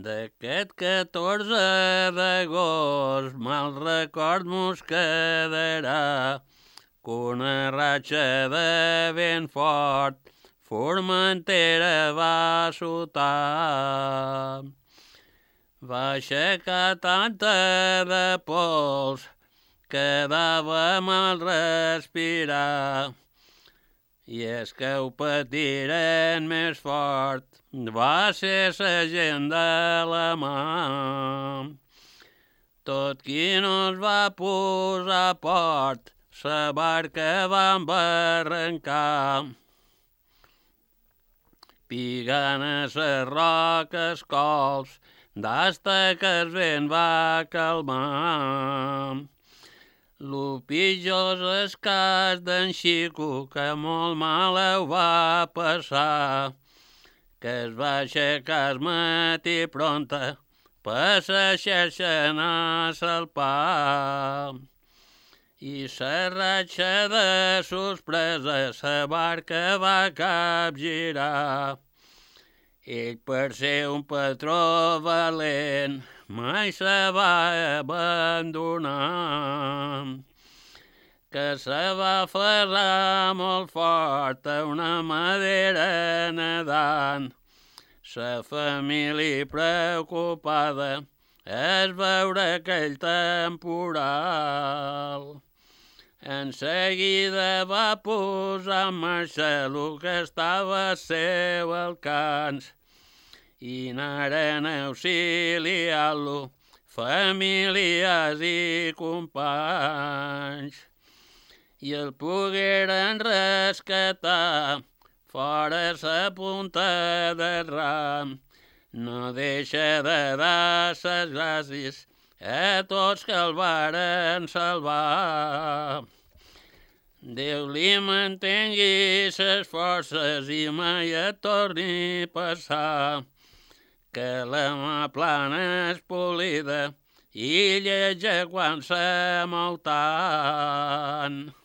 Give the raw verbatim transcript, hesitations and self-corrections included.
D'aquest catorze d'agost mal record mos quedarà que una ratxa de vent fort Formentera va sotar. Va aixecar tanta de pols que dava mal respirar. I és que ho patiren més fort, va ser sa gent de la mà. Tot qui no es va posar a port, sa barca va embarrancar. Pigant a ses roques cols, d'hasta que el vent va calmar. Lo pitjor és el cas d'en Xico, que molt mal ho va passar, que es va aixecar al matí pronta per sa xerxa anar a salpar. I sa ratxa de sorpresa sa barca va capgirar. Ell, per ser un patró valent, mai se va abandonar. Que se va aferrar molt fort a una madera nedant. Sa família preocupada es veure aquell temporal. En seguida va posar en marxa el que estava al seu alcance i anaren a auxiliar-lo famílies i companys. I el pogueren rescatar fora sa punta del ram. No deixa de dar ses gràcies a tots que el varen salvar. Déu li mantengui ses forces i mai et torni a passar, que la mà plana és polida i lletja quan se mou tant.